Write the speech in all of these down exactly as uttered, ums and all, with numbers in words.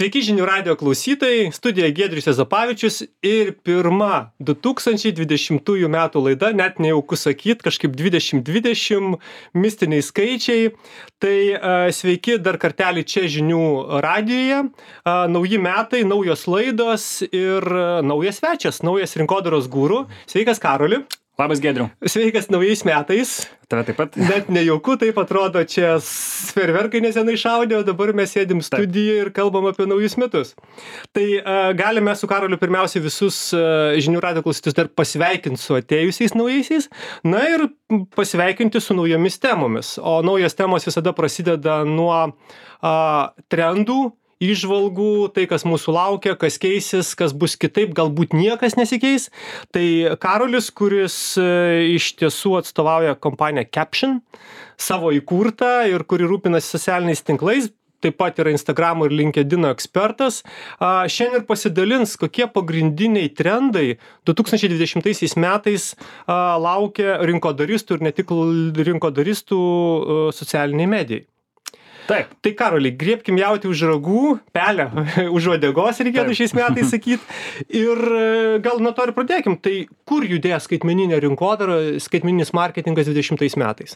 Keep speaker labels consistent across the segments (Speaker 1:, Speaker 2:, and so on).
Speaker 1: Sveiki žinių radijo klausytojai, studijoje Giedrius Juozapavičius ir pirma du tūkstančiai dvidešimtųjų metų laida, net nejauku sakyt, kažkaip dvidešimt dvidešimt, mistiniai skaičiai. Tai uh, sveiki dar kartelį čia žinių radijoje, uh, nauji metai, naujos laidos ir uh, naujas svečias, naujas rinkodaros guru. Sveikas Karoli.
Speaker 2: Labas Giedriu.
Speaker 1: Sveikas naujais metais.
Speaker 2: Tave taip pat.
Speaker 1: Net nejauku, taip atrodo, čia ferverkai nesenai šaudė, o dabar mes sėdim studijoje ir kalbam apie naujus metus. Tai uh, galime su Karoliu pirmiausiai visus uh, žinių radijo klausytojus dar pasveikinti su atėjusiais naujaisiais, na ir pasveikinti su naujomis temomis. O naujos temos visada prasideda nuo uh, trendų, įžvalgų, tai kas mūsų laukia, kas keisis, kas bus kitaip, galbūt niekas nesikeis. Tai Karolis, kuris iš tiesų atstovauja kompaniją Caption, savo įkurtą ir kuri rūpinasi socialiniais tinklais, taip pat yra Instagramo ir LinkedIn ekspertas, šiandien ir pasidalins, kokie pagrindiniai trendai du tūkstančiai dvidešimtaisiais metais laukia rinkodaristų ir ne tik rinkodaristų socialiniai medijai.
Speaker 2: Taip.
Speaker 1: Tai Karoli, griebkim jautį už ragų, pelę už uodegos, reikėtų šiais metais sakyti. Ir gal nuo to ir pradėkim. Tai kur judės skaitmeninė rinkodara, skaitmeninis marketingas dvidešimtais metais?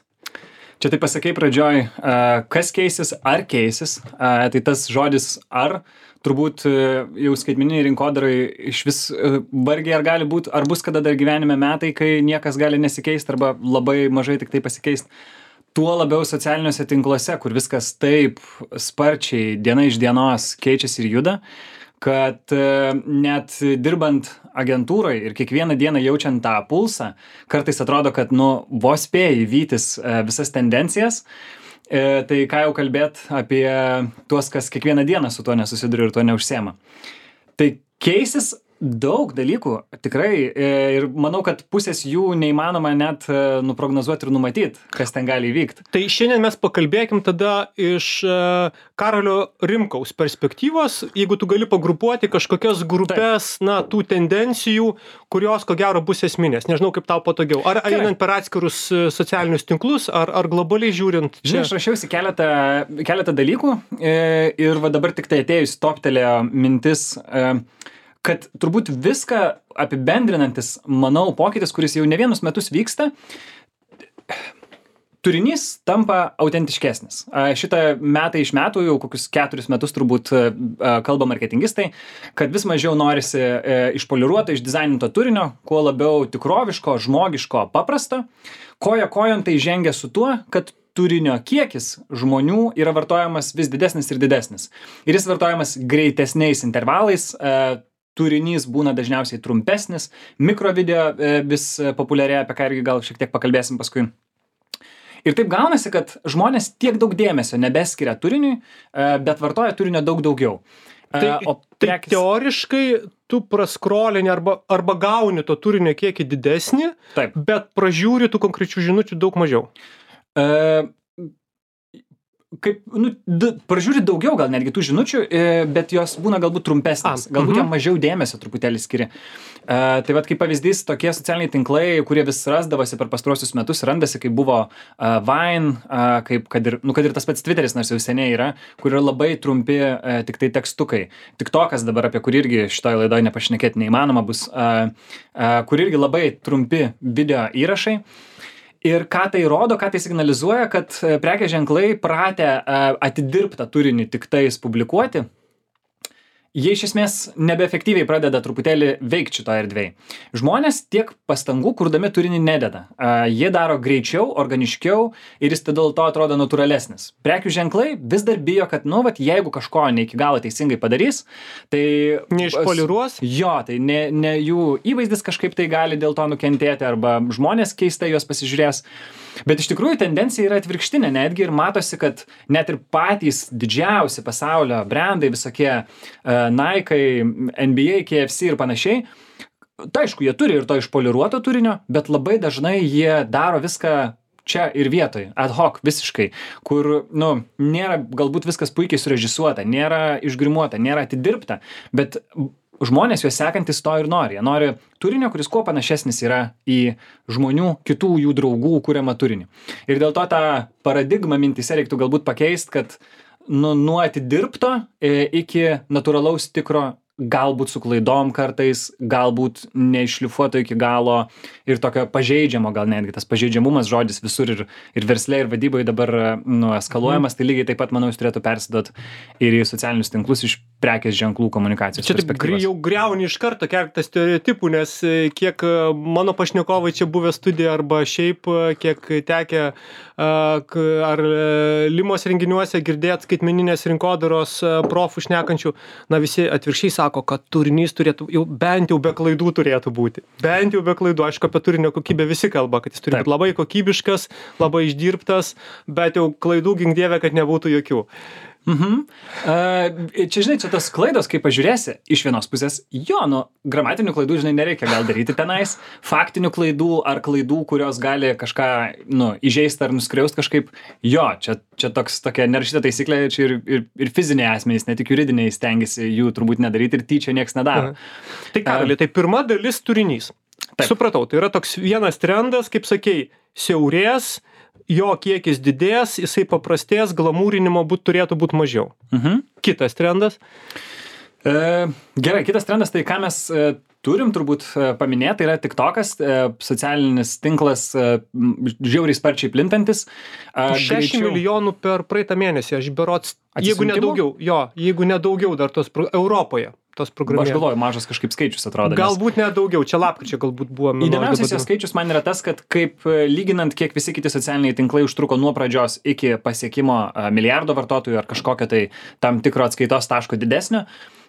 Speaker 2: Čia tai pasakai pradžioj, kas keisis, ar keisis. Tai tas žodis ar, turbūt jau skaitmeniniai rinkodarai iš vis vargiai ar gali būti, ar bus kada dar gyvenime metai, kai niekas gali nesikeisti arba labai mažai tik tai pasikeisti. Tuo labiau socialiniuose tinkluose, kur viskas taip sparčiai diena iš dienos keičiasi ir juda, kad net dirbant agentūrai ir kiekvieną dieną jaučiant tą pulsą, kartais atrodo, kad nu, vos spėjai vytis visas tendencijas, tai ką jau kalbėt apie tuos, kas kiekvieną dieną su tuo nesusiduria ir tuo neužsiema. Tai keisis daug dalykų, tikrai, ir manau, kad pusės jų neįmanoma net nuprognozuoti ir numatyti, kas ten gali įvykti.
Speaker 1: Tai šiandien mes pakalbėkim tada iš Karolio Rimkaus perspektyvos, jeigu tu gali pagrupuoti kažkokias grupės, Taip. na, tų tendencijų, kurios ko gero bus esminės. Nežinau, kaip tau patogiau. Ar Gerai. einant per atskirus socialinius tinklus, ar, ar globaliai žiūrint?
Speaker 2: Žinai, aš rašiausi keletą, keletą dalykų ir va dabar tik tai atėjus toptelėjo mintis, kad turbūt viską apibendrinantis, manau, pokytis, kuris jau ne vienus metus vyksta, turinys tampa autentiškesnis. Šitą metai iš metų, jau kokius keturis metus turbūt kalba marketingistai, kad vis mažiau norisi išpoliruoto, išdizaininto turinio, kuo labiau tikroviško, žmogiško, paprasto. Koja kojon tai žengia su tuo, kad turinio kiekis žmonių yra vartojamas vis didesnis ir didesnis. Ir jis vartojamas greitesniais intervalais, turinys būna dažniausiai trumpesnis, mikrovideo vis populiarėja, apie ką irgi gal šiek tiek pakalbėsim paskui. Ir taip gaunasi, kad žmonės tiek daug dėmesio nebeskiria turiniui, bet vartoja turinio daug daugiau.
Speaker 1: Tai,
Speaker 2: o
Speaker 1: prekis... tai teoriškai tu praskrolini arba, arba gauni to turinio kiekį didesnį, Taip. bet pražiūri tų konkrečių žinučių daug mažiau.
Speaker 2: E... Kaip, nu, d, pražiūri daugiau gal netgi tų žinučių, bet jos būna galbūt trumpesnės, galbūt uh-huh. jam mažiau dėmesio truputėlį skiria. Uh, tai vat kaip pavyzdys, tokie socialiniai tinklai, kurie vis rasdavosi per pastaruosius metus, randasi, kaip buvo uh, Vine, uh, kaip kad ir, nu, kad ir tas pats Twitteris, nors jau seniai yra, kur yra labai trumpi uh, tik tai tekstukai. TikTokas dabar, apie kurį irgi šitoje laidoje nepašnekėti neįmanoma bus, uh, uh, kur irgi labai trumpi video įrašai. Ir ką tai rodo, ką tai signalizuoja, kad prekės ženklai pratę atidirbtą turinį tik tais publikuoti, jie iš esmės nebeefektyviai pradeda truputėlį veikti šitoje erdvėje. Žmonės tiek pastangų kurdami turinį nededa. Jie daro greičiau, organiškiau ir jis tada dėl to atrodo natūralesnis. Prekių ženklai vis dar bijo, kad, nu, vat, jeigu kažko ne iki galo teisingai padarys, tai...
Speaker 1: Neišpoliruos?
Speaker 2: Jo, tai ne, ne jų įvaizdis kažkaip tai gali dėl to nukentėti arba žmonės keistai juos pasižiūrės. Bet iš tikrųjų tendencija yra atvirkštinė, netgi ir matosi, kad net ir patys didžiausi pasaulio brandai, visokie uh, Nike, N B A, K F C ir panašiai, tai aišku, jie turi ir to išpoliruoto turinio, bet labai dažnai jie daro viską čia ir vietoj, ad hoc visiškai, kur, nu, nėra galbūt viskas puikiai surežisuota, nėra išgrimuota, nėra atidirbta, bet žmonės juos sekantis to ir nori. Jie nori turinio, kuris kuo panašesnis yra į žmonių, kitų jų draugų kuriamą turinį. Ir dėl to tą paradigmą mintyse reiktų galbūt pakeisti, kad nu, nuo atidirbto iki natūralaus tikro, galbūt su klaidom kartais, galbūt neiššlifuoto iki galo ir tokio pažeidžiamo, gal netgi tas pažeidžiamumas žodis visur ir, ir versle, ir vadyboje dabar nu, eskaluojamas, mm. tai lygiai taip pat, manau, jis turėtų persidot ir į socialinius tinklus iš prekės ženklų komunikacijos.
Speaker 1: Čia taip jau griauni iš karto keletą stereotipų, nes kiek mano pašnekovai čia buvę studija arba šiaip, kiek tekę ar Limos renginiuose girdėt skaitmeninės rinkodaros profų šnekančių, na visi atvirkščiai sako, kad turinys turėtų, jau bent jau be klaidų turėtų būti. Bent jau be klaidų. Aišku, apie turinio kokybę visi kalba, kad jis turi būti labai kokybiškas, labai išdirbtas, bet jau klaidų gink dieve, kad nebūtų jokių.
Speaker 2: Mhm. Uh, čia, žinai, čia tas klaidos, kai pažiūrėsi, iš vienos pusės, jo, nu, gramatinių klaidų, žinai, nereikia gal daryti tenais, faktinių klaidų ar klaidų, kurios gali kažką, nu, įžeisti ar nuskriausti kažkaip, jo, čia, čia toks, tokia nerašyta taisyklė, čia ir, ir, ir fiziniai asmenys, ne tik juridiniai stengiasi jų turbūt nedaryti ir tyčia nieks nedaro.
Speaker 1: Mhm. Tai Karoli, uh, tai pirma dalis turinys. Taip. Supratau, tai yra toks vienas trendas, kaip sakei, siaurės, jo kiekis didės, jisai paprastės, glamūrinimo būt, turėtų būti mažiau.
Speaker 2: Mhm.
Speaker 1: Kitas trendas?
Speaker 2: E, gerai, kitas trendas, tai ką mes e, turim turbūt e, paminėti, tai yra TikTokas, e, socialinis tinklas, e, žiauriai sparčiai plintantis. E,
Speaker 1: šešiasdešimt
Speaker 2: greičiau...
Speaker 1: milijonų per praeitą mėnesį, aš berots, jeigu ne daugiau, jo, jeigu ne daugiau dar tos pro... Europoje. Tos programėlės.
Speaker 2: Aš galvoju, mažas kažkaip skaičius atrodo.
Speaker 1: Galbūt net daugiau, čia lapkričio galbūt buvo.
Speaker 2: Įdomiausias jo skaičius man yra tas, kad kaip lyginant, kiek visi kiti socialiniai tinklai užtruko nuo pradžios iki pasiekimo milijardo vartotojų ar kažkokio tai tam tikro atskaitos taško didesnio,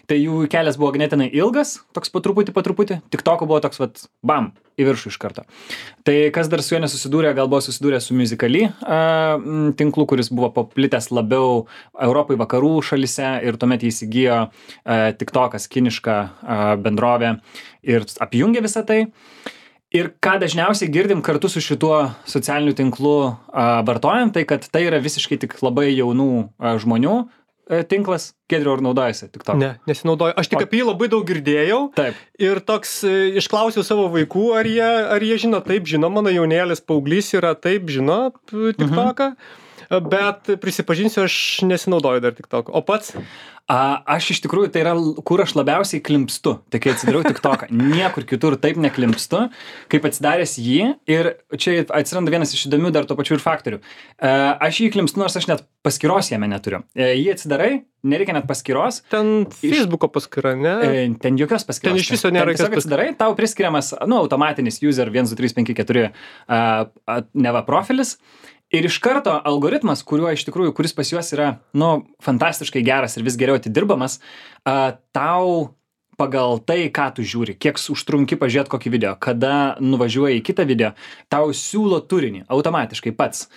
Speaker 2: tai jų kelias buvo ganėtinai ilgas, toks po truputį, po truputį, TikToko buvo toks, vat, bam, į viršų iš karto. Tai kas dar su juo nesusidūrė, gal buvo susidūrė su Musical.ly uh, tinklu, kuris buvo paplitęs labiau Europai vakarų šalise ir tuomet jį įsigijo uh, TikTokas, kiniška uh, bendrovė ir apjungė visą tai. Ir ką dažniausiai girdim kartu su šituo socialiniu tinklu uh, vartojant, tai kad tai yra visiškai tik labai jaunų uh, žmonių tinklas. Giedriau, ar naudojasi TikTok?
Speaker 1: Ne, nesinaudoju. Aš tik o... apie jį labai daug girdėjau.
Speaker 2: Taip.
Speaker 1: Ir toks, išklausiau savo vaikų, ar jie, ar jie žino, taip žino, mano jaunėlis paauglys yra, taip žino TikToką, mhm. bet prisipažinsiu, aš nesinaudoju dar TikTok. O pats?
Speaker 2: A, aš iš tikrųjų, tai yra, kur aš labiausiai klimpstu. Tai kai atsidariau TikToką, niekur kitur taip neklimpstu, kaip atsidaręs jį. Ir čia atsiranda vienas iš įdomių dar to pačių ir faktorių. A, aš jį klimpstu, nors aš net paskyros jame neturiu. A, jį atsidarai, nereikia net paskyros.
Speaker 1: Ten Facebooko paskyra, ne?
Speaker 2: A, ten jokios paskyros.
Speaker 1: Ten iš viso nėra jokios paskyros.
Speaker 2: Atsidarai, tau priskiriamas, nu, automatinis user vienas du trys penki keturi a, a, neva profilis. Ir iš karto algoritmas, kuriuo iš tikrųjų, kuris pas juos yra, nu, fantastiškai geras ir vis geriau atidirbamas, uh, tau pagal tai, ką tu žiūri, kiek užtrunki pažiūrėti kokį video, kada nuvažiuoji į kitą video, tau siūlo turinį automatiškai pats.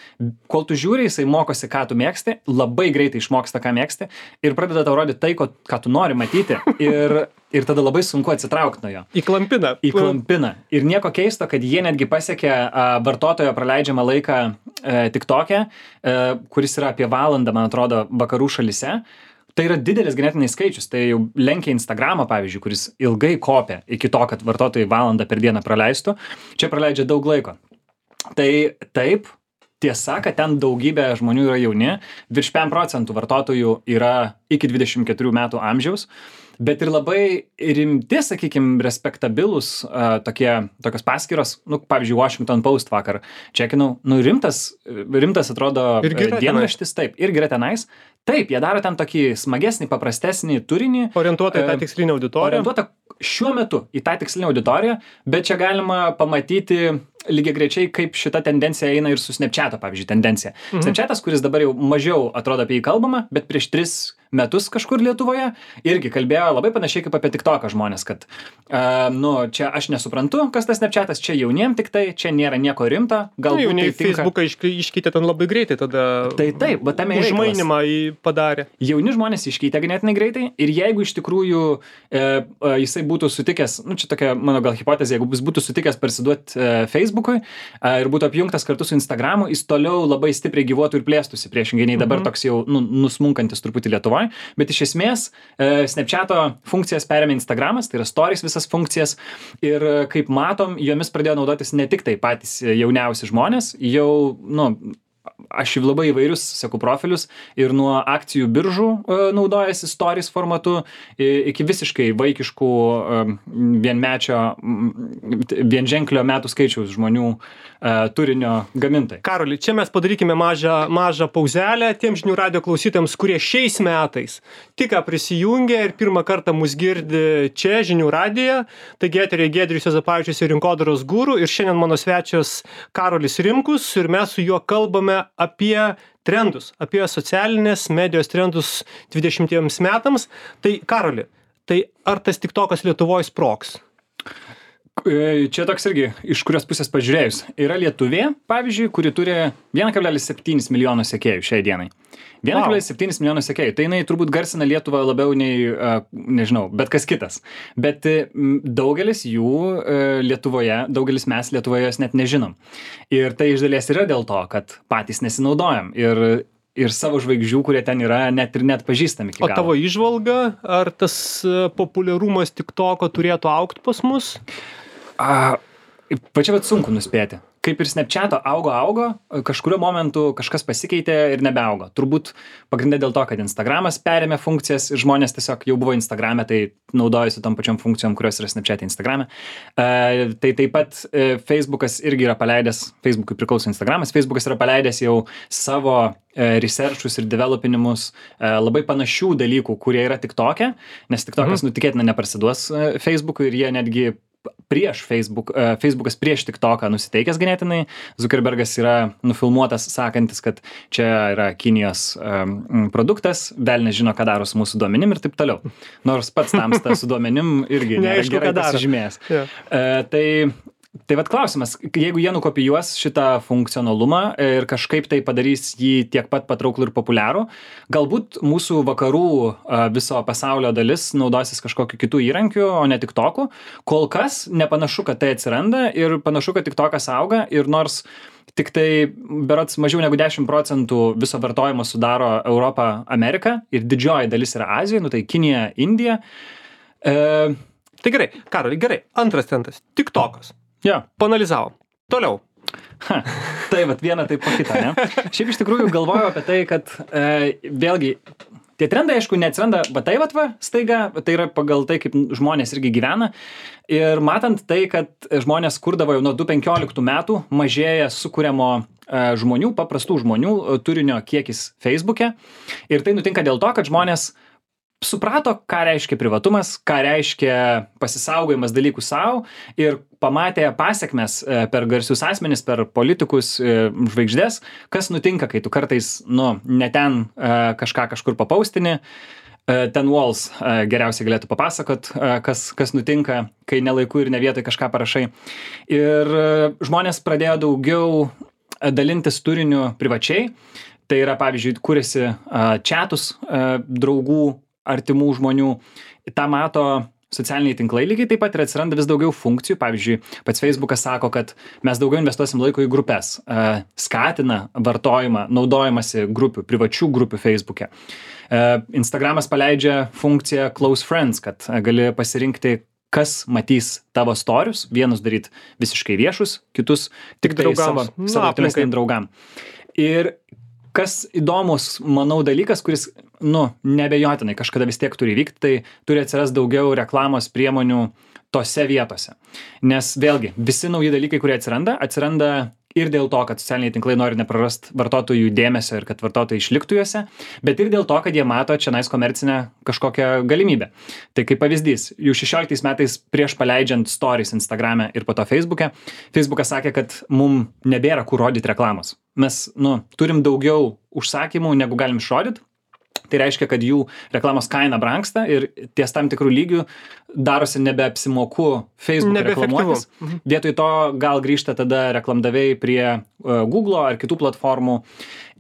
Speaker 2: Kol tu žiūri, jisai mokosi, ką tu mėgsti, labai greitai išmoksta, ką mėgsti ir pradeda tau rodyti tai, ko, ką tu nori matyti ir, ir tada labai sunku atsitraukti nuo jo.
Speaker 1: Įklampina.
Speaker 2: Įklampina. Ir nieko keisto, kad jie netgi pasiekė a, vartotojo praleidžiamą laiką e, TikTok'e, e, kuris yra apie valandą, man atrodo, vakarų šalyse. Tai yra didelis ganėtinai skaičius, tai jau lenkia Instagramą, pavyzdžiui, kuris ilgai kopia iki to, kad vartotojai valandą per dieną praleistų, čia praleidžia daug laiko. Tai taip, tiesa, kad ten daugybė žmonių yra jauni, virš penkiasdešimt procentų vartotojų yra iki dvidešimt keturių metų amžiaus, bet ir labai rimti, sakykime, respektabilus uh, tokie, tokios paskyros, nu, pavyzdžiui, Washington Post vakar čekinau, nu, rimtas, rimtas atrodo dienraštis, taip, irgi yra tenais. Taip, jie daro ten tokį smagesnį, paprastesnį turinį.
Speaker 1: Orientuotą į tą tikslinę auditoriją.
Speaker 2: Orientuotą šiuo metu į tą tikslinę auditoriją, bet čia galima pamatyti lygiagrečiai, kaip šita tendencija eina ir su Snapchat'o, pavyzdžiui, tendencija. Mhm. Snapchat'as, kuris dabar jau mažiau atrodo apie jį kalbama, bet prieš tris metus kažkur Lietuvoje irgi kalbėjo labai panašiai kaip apie TikToką žmonės, kad uh, nu, čia aš nesuprantu, kas tas Snapchat'as, čia jauniem tik tai, čia nėra nieko rimta.
Speaker 1: Galbūt jauniai tai Facebooką išk iškeitė ten labai greitai, tada
Speaker 2: tai taip, bet tame
Speaker 1: užmainimą į padarė.
Speaker 2: Jauni žmonės iškeitė ganėtinai greitai ir jeigu iš tikrųjų e, e, jisai būtų sutikęs, nu čia tokia mano gal hipotezė, jeigu jis būtų sutikęs parsiduoti e, Facebookui e, ir būtų apjungtas kartu su Instagramu, jis toliau labai stipriai gyvuotų ir plėstųsi, priešingai nei dabar toks jau nu, nusmunkantis truputį Lietuvoje. Bet iš esmės e, Snapchat'o funkcijas perėmė Instagramas, tai yra stories visas funkcijas ir e, kaip matom, jomis pradėjo naudotis ne tik tai patys jauniausi žmonės, jau, nu, aš labai įvairius seku profilius ir nuo akcijų biržų naudojasi stories formatu iki visiškai vaikiškų vienmečio, vienženklio metų skaičiaus žmonių turinio gamintojai.
Speaker 1: Karoli, čia mes padarykime mažą, mažą pauzelę tiem žinių radijo klausytėms, kurie šiais metais tik prisijungė ir pirmą kartą mus girdi čia žinių radiją. Taigi eteryje Giedrius Juozapavičius ir rinkodaros guru ir šiandien mano svečias Karolis Rimkus ir mes su juo kalbame apie trendus, apie socialinės medijos trendus dvidešimtiems metams. Tai Karoli, tai ar tas TikTokas Lietuvoje sprogs?
Speaker 2: Čia toks irgi, iš kurios pusės pažiūrėjus. Yra lietuvė, pavyzdžiui, kuri turi vienas kablelis septyni milijono sekėjų šiai dienai. vienas kablelis septyni milijono sekėjų. Tai jinai turbūt garsina Lietuvą labiau nei, nežinau, bet kas kitas. Bet daugelis jų Lietuvoje, daugelis mes Lietuvoje jos net nežinom. Ir tai iš dalies yra dėl to, kad patys nesinaudojam. Ir ir savo žvaigždžių, kurie ten yra, net ir net pažįstami iki galo.
Speaker 1: O tavo įžvalga, ar tas populiarumas TikToko turėtų augti pas mus?
Speaker 2: A, pačia vat sunku nuspėti. Kaip ir Snapchat'o augo, augo, kažkurio momentu kažkas pasikeitė ir nebeaugo. Turbūt pagrindė dėl to, kad Instagramas perėmė funkcijas ir žmonės tiesiog jau buvo Instagrame, tai naudojasi tom pačiom funkcijom, kurios yra Snapchat'e Instagrame. E, tai taip pat e, Facebookas irgi yra paleidęs, Facebookui priklauso Instagramas, Facebookas yra paleidęs jau savo e, researchus ir developinimus e, labai panašių dalykų, kurie yra TikTok'e, nes TikTokas mhm. nutikėtina neparsiduos e, Facebookui ir jie netgi prieš Facebook, uh, Facebookas prieš TikToką nusiteikęs ganėtinai. Zuckerbergas yra nufilmuotas sakantis, kad čia yra Kinijos um, produktas, velnias žino, ką daro su mūsų duomenim ir taip toliau. Nors pats tamsta su duomenim irgi nėra gerai pasižymėjęs. Yeah. Uh, tai Tai vat klausimas, jeigu jie nukopijuos šitą funkcionalumą ir kažkaip tai padarys jį tiek pat patrauklų ir populiarų, galbūt mūsų vakarų viso pasaulio dalis naudosis kažkokiu kitų įrankių, o ne TikTok'u. Kol kas nepanašu, kad tai atsiranda ir panašu, kad TikTokas auga ir nors tik tai berods mažiau negu dešimt procentų viso vartojimo sudaro Europą, Amerika ir didžioji dalis yra Azija, nu tai Kinija, Indija.
Speaker 1: E... Tai gerai, Karoli, gerai. Antras tentas. TikTokas.
Speaker 2: Ja.
Speaker 1: Panalizavom. Toliau.
Speaker 2: Ha, tai vat viena taip po kitą, ne? Šiaip iš tikrųjų galvoju apie tai, kad e, vėlgi tie trendai, aišku, neatsiranda va tai vat va staiga, tai yra pagal tai, kaip žmonės irgi gyvena. Ir matant tai, kad žmonės kurdavo jau nuo du tūkstančiai penkioliktų metų, mažėja sukuriamo e, žmonių, paprastų žmonių turinio kiekis Facebook'e. Ir tai nutinka dėl to, kad žmonės suprato, ką reiškia privatumas, ką reiškia pasisaugojimas dalykų savo ir pamatė pasiekmes per garsius asmenis, per politikus, žvaigždės, kas nutinka, kai tu kartais, nu, ne ten kažką kažkur papaustini. Ten Walls geriausiai galėtų papasakot, kas, kas nutinka, kai nelaiku ir ne vietoj kažką parašai. Ir žmonės pradėjo daugiau dalintis turiniu privačiai. Tai yra, pavyzdžiui, kūrėsi chatus draugų, artimų žmonių, tą mato socialiniai tinklai lygiai taip pat ir atsiranda vis daugiau funkcijų. Pavyzdžiui, pats Facebookas sako, kad mes daugiau investuosim laiko į grupės, skatina vartojimą, naudojimąsi grupių, privačių grupių Facebook'e. Instagramas paleidžia funkciją Close Friends, kad gali pasirinkti, kas matys tavo storius, vienus daryt visiškai viešus, kitus tik tai savo, savo tolesniem draugam. Ir kas įdomus, manau, dalykas, kuris, nu, neabejotinai kažkada vis tiek turi vykti, tai turi atsiras daugiau reklamos priemonių tose vietose. Nes vėlgi, visi nauji dalykai, kurie atsiranda, atsiranda ir dėl to, kad socialiniai tinklai nori neprarast vartotojų dėmesio ir kad vartotojai išliktų juose, bet ir dėl to, kad jie mato čia nais komercinę kažkokią galimybę. Tai kaip pavyzdys, jau šešioliktais metais prieš paleidžiant stories Instagrame ir po to Facebook'e, Facebookas sakė, kad mum nebėra kur rodyti reklamos. Mes, nu, turim daugiau užsakymų, negu galim išrodyti. Tai reiškia, kad jų reklamos kaina brangsta ir ties tam tikrų lygių darosi nebeapsimoku Facebook reklamuotis. Mhm. Vietoj to gal grįžta tada reklamdaviai prie uh, Google ar kitų platformų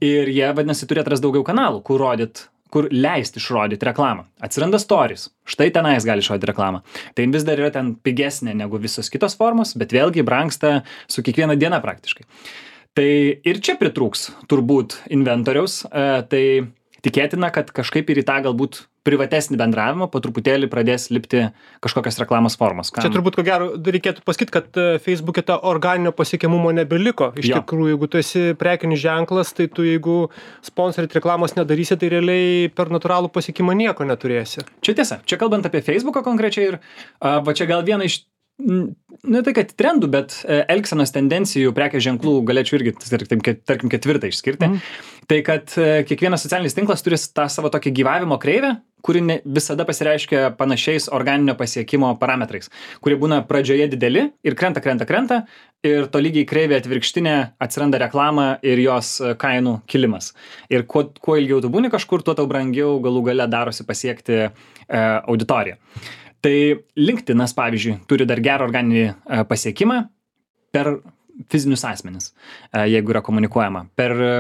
Speaker 2: ir jie, vadinasi, turi atras daugiau kanalų, kur rodyt, kur leisti išrodyti reklamą. Atsiranda stories. Štai tenais gali išrodyti reklamą. Tai vis dar yra ten pigesnė negu visos kitos formos, bet vėlgi brangsta su kiekviena diena praktiškai. Tai ir čia pritrūks turbūt inventoriaus, uh, tai tikėtina, kad kažkaip ir į tą galbūt privatesnį bendravimą, po truputėlį pradės lipti kažkokios reklamos formos.
Speaker 1: Kam? Čia turbūt, ko gero, reikėtų pasakyti, kad Facebook'e ta organinio pasiekiamumo nebeliko. Iš jo. Tikrųjų, jeigu tu esi prekinis ženklas, tai tu jeigu sponsorit reklamos nedarysi, tai realiai per natūralų pasiekimą nieko neturėsi.
Speaker 2: Čia tiesa. Čia kalbant apie Facebooką konkrečiai ir a, va čia gal viena iš ne tai, kad trendų, bet elgsenos tendencijų prekės ženklų galėčiau irgi, tarkim, tarkim ketvirtą išskirti. Mm. Tai, kad kiekvienas socialinis tinklas turi tą savo tokį gyvavimo kreivę, kuri ne, visada pasireiškia panašiais organinio pasiekimo parametrais, kurie būna pradžioje dideli ir krenta, krenta, krenta ir tolygiai kreivė atvirkštinė atsiranda reklama ir jos kainų kilimas. Ir kuo, kuo ilgiau tu būni kažkur, tuo tau brangiau galų gale darosi pasiekti e, auditoriją. Tai LinkedInas, pavyzdžiui, turi dar gerą organinį e, pasiekimą per fizinius asmenis, e, jeigu yra komunikuojama. Per e,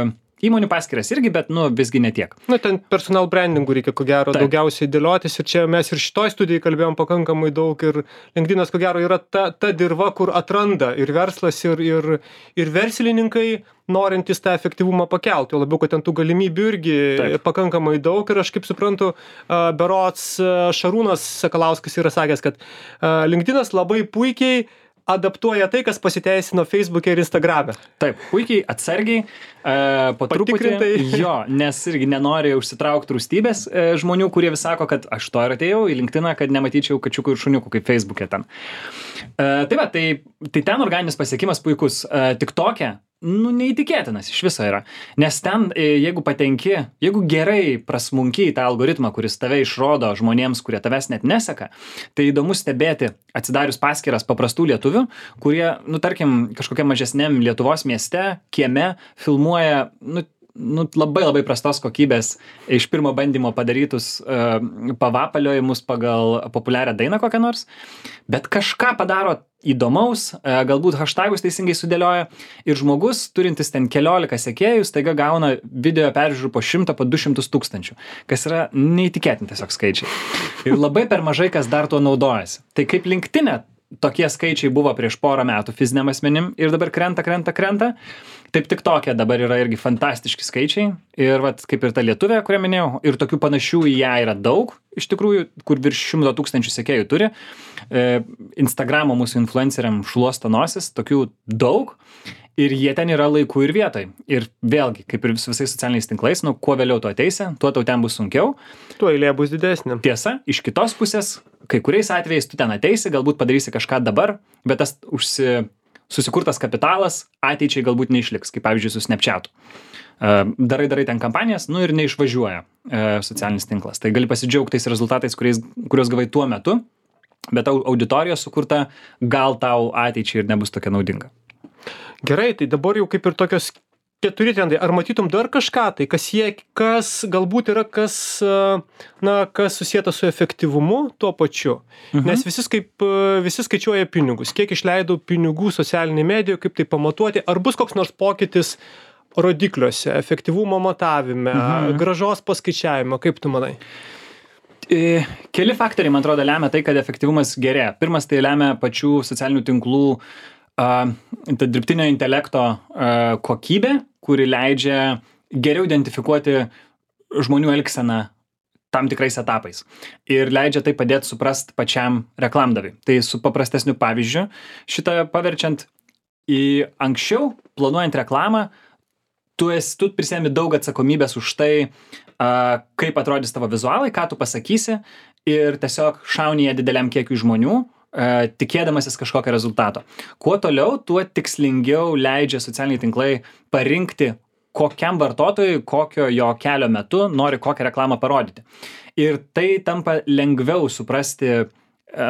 Speaker 2: įmonių paskyras irgi, bet, nu, visgi netiek.
Speaker 1: Na, ten personal brandingų reikia, ko gero, Taip. daugiausiai dėliotis ir čia mes ir šitoj studijai kalbėjom pakankamai daug ir LinkedInas, ko gero, yra ta, ta dirva, kur atranda ir verslas, ir, ir, ir verslininkai, norintys tą efektyvumą pakelti, o labiau, kad ten tų galimybių irgi Taip. pakankamai daug ir aš kaip suprantu, berods Šarūnas Sakalauskas yra sakęs, kad LinkedInas labai puikiai adaptuoja tai, kas pasiteisino Facebook'e ir Instagram'e.
Speaker 2: Taip, puikiai, atsargiai, e, po truputį, jo, nes irgi nenori užsitraukti rūstybės e, žmonių, kurie vis sako, kad aš to ir atėjau į LinkedIną, kad nematyčiau kačiukų ir šuniukų kaip Facebook'e ten. E, tai va, tai, tai ten organinis pasiekimas puikus, e, tik tokia, nu, neįtikėtinas iš viso yra. Nes ten, jeigu patenki, jeigu gerai prasmunki į tą algoritmą, kuris tave išrodo žmonėms, kurie tavęs net neseka, tai įdomu stebėti atsidarius paskyras paprastų lietuvių, kurie, nu, tarkim, kažkokiam mažesniam Lietuvos mieste, kieme, filmuoja, nu, nu, labai labai prastos kokybės iš pirmo bandymo padarytus uh, pavapaliojimus pagal populiarią dainą kokią nors, bet kažką padaro įdomaus, uh, galbūt hashtagus teisingai sudėlioja ir žmogus, turintis ten keliolika sekėjų, staiga gauna video peržiūrų po šimtą, po du šimtus tūkstančių, kas yra neįtikėtinti tiesiog skaičiai. Ir labai per mažai kas dar tuo naudojasi. Tai kaip LinkedIn'e tokie skaičiai buvo prieš porą metų fiziniam asmenim ir dabar krenta, krenta, krenta. Taip tik tokie dabar yra irgi fantastiški skaičiai. Ir vat, kaip ir ta lietuvė, kurią minėjau, ir tokių panašių į ją yra daug, iš tikrųjų, kur virš šimto tūkstančių sekėjų turi. E, Instagramo mūsų influenceriam šluosto nosis, tokių daug. Ir jie ten yra laiku ir vietoj. Ir vėlgi, kaip ir vis, visais socialiniais tinklais, nu, kuo vėliau tu ateisi, tuo tau ten bus sunkiau.
Speaker 1: Tuo eilė bus didesnė.
Speaker 2: Tiesa, iš kitos pusės, kai kuriais atvejais tu ten ateisi, galbūt padarysi kažką dabar, bet tas užsi, susikurtas kapitalas ateičiai galbūt neišliks, kaip pavyzdžiui su Snapchatu. Darai, darai ten kampanijas, nu ir neišvažiuoja socialinis tinklas. Tai gali pasidžiaugti tais rezultatais, kuriais, kuriuos gavai tuo metu, bet auditorija sukurta gal tau ateičiai ir nebus tokia naudinga.
Speaker 1: Gerai, tai dabar jau kaip ir tokios keturi trendai. Ar matytum dar kažką, tai kas, jie, kas galbūt yra, kas, na, kas susijęta su efektyvumu tuo pačiu? Mhm. Nes visi, kaip, visi skaičiuoja pinigus. Kiek išleidau pinigų socialinėje medijoje, kaip tai pamatuoti? Ar bus koks nors pokytis rodikliuose, efektyvumo matavime, mhm. gražos paskaičiavime? Kaip tu manai?
Speaker 2: Keli faktoriai, man atrodo, lemia tai, kad efektyvumas gerėja. Pirmas tai lemia pačių socialinių tinklų Uh, ta dirbtinio intelekto uh, kokybė, kuri leidžia geriau identifikuoti žmonių elgseną tam tikrais etapais. Ir leidžia tai padėti suprast pačiam reklamdaviui. Tai su paprastesniu pavyzdžiu, šitą paverčiant į anksčiau, planuojant reklamą, tu, esi, tu prisėmi daug atsakomybės už tai, uh, kaip atrodys tavo vizualai, ką tu pasakysi ir tiesiog šauni ją dideliam kiekiui žmonių, tikėdamasis kažkokio rezultato. Kuo toliau, tuo tikslingiau leidžia socialiniai tinklai parinkti, kokiam vartotojui, kokio jo kelio metu nori kokią reklamą parodyti. Ir tai tampa lengviau suprasti,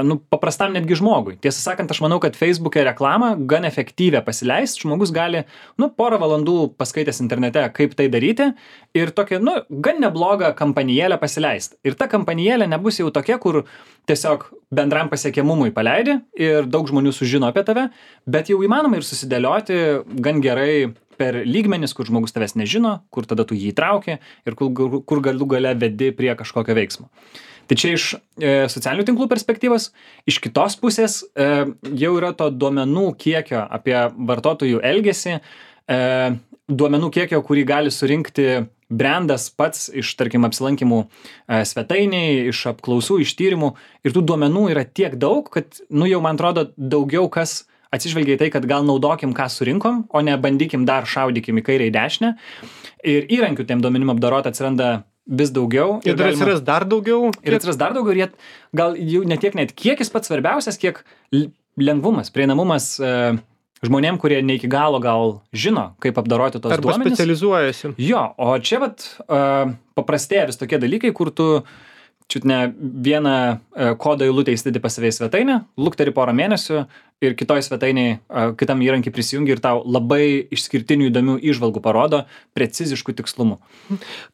Speaker 2: nu, paprastam netgi žmogui. Tiesą sakant, aš manau, kad Facebook'e reklamą gan efektyvią pasileist, žmogus gali, nu, porą valandų paskaitęs internete, kaip tai daryti ir tokią, nu, gan neblogą kampanijėlę pasileist. Ir ta kampanijėlė nebus jau tokia, kur tiesiog bendram pasiekiamumui paleidi ir daug žmonių sužino apie tave, bet jau įmanoma ir susidėlioti gan gerai per lygmenis, kur žmogus tavęs nežino, kur tada tu jį įtrauki ir kur, kur galų gale vedi prie kažkokio veiksmo. Tai čia iš e, socialinių tinklų perspektyvos, iš kitos pusės e, jau yra to duomenų kiekio apie vartotojų elgesį, e, duomenų kiekio, kurį gali surinkti brandas pats iš, tarkim, apsilankimų e, svetainiai, iš apklausų, iš tyrimų ir tų duomenų yra tiek daug, kad, nu, jau man atrodo, daugiau kas atsižvelgia į tai, kad gal naudokim, ką surinkom, o ne bandykim dar šaudykim į kairę į dešinę. Ir įrankių tiem duomenim apdorot atsiranda vis daugiau.
Speaker 1: Ir, ir dar atsiras dar daugiau.
Speaker 2: Ir atsiras dar daugiau ir jie, gal jau ne tiek net kiekis pats svarbiausias, kiek lengvumas, prieinamumas e, žmonėm, kurie ne iki galo gal žino, kaip apdoroti tos
Speaker 1: Arba
Speaker 2: duomenis.
Speaker 1: specializuojasi.
Speaker 2: Jo, o čia vat uh, paprastėja vis tokie dalykai, kur tu čiut ne vieną uh, kodo eilutę įsidedi pas save į svetainę, lukteri porą mėnesių ir kitoj svetainiai uh, kitam įrankį prisijungi ir tau labai išskirtinių įdomių įžvalgų parodo preciziškų tikslumų.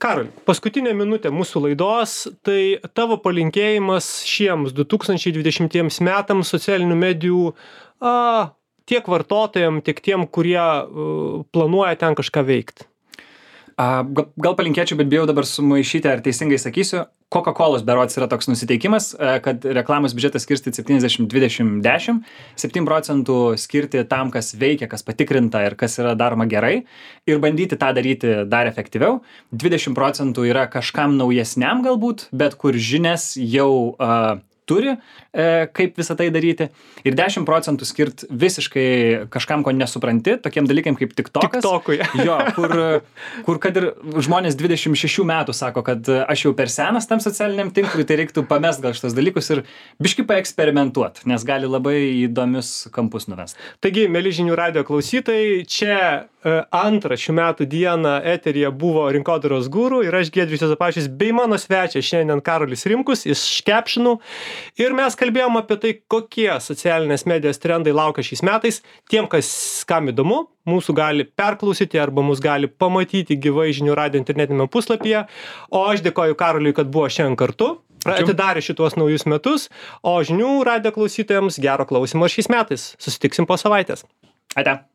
Speaker 1: Karoli, paskutinė minutė mūsų laidos, tai tavo palinkėjimas šiems du tūkstančiai dvidešimtiems metams socialinių medijų a, tiek vartotojam, tiek tiem, kurie uh, planuoja ten kažką veikti.
Speaker 2: A, gal, gal palinkėčiau, bet bijau dabar sumaišyti, ar teisingai sakysiu. Coca-Colos berods yra toks nusiteikimas, kad reklamos biudžetas skirsti septyniasdešimt dvidešimt dešimt, septyni procentų skirti tam, kas veikia, kas patikrinta ir kas yra daroma gerai ir bandyti tą daryti dar efektyviau. dvidešimt procentų yra kažkam naujesniam galbūt, bet kur žinias jau uh, turi, e, kaip visą tai daryti. Ir dešimt procentų skirt visiškai kažkam, ko nesupranti, tokiem dalykam kaip TikTokas.
Speaker 1: TikTokui.
Speaker 2: Jo, kur, kur kad ir žmonės dvidešimt šešių metų sako, kad aš jau per senas tam socialiniam tinklui, tai reiktų pamest gal šitos dalykus ir biškai paeksperimentuot, nes gali labai įdomius kampus nuvest.
Speaker 1: Taigi, mėly žinių radijo klausytojai, čia e, antrą šių metų dieną eteryje buvo Rinkodaros guru ir aš Giedrius Juozapavičius bei mano svečias šiandien Karolis Rimkus iš Captionų. Ir mes kalbėjom apie tai, kokie socialinės medijos trendai laukia šiais metais. Tiem, kas kam įdomu, mūsų gali perklausyti arba mus gali pamatyti gyvai žinių radijo internetinėme puslapyje. O aš dėkoju Karoliui, kad buvo šiandien kartu, atidarė šitos naujus metus, o žinių radijo klausytojams gero klausimo šiais metais. Susitiksim po savaitės.
Speaker 2: Ate.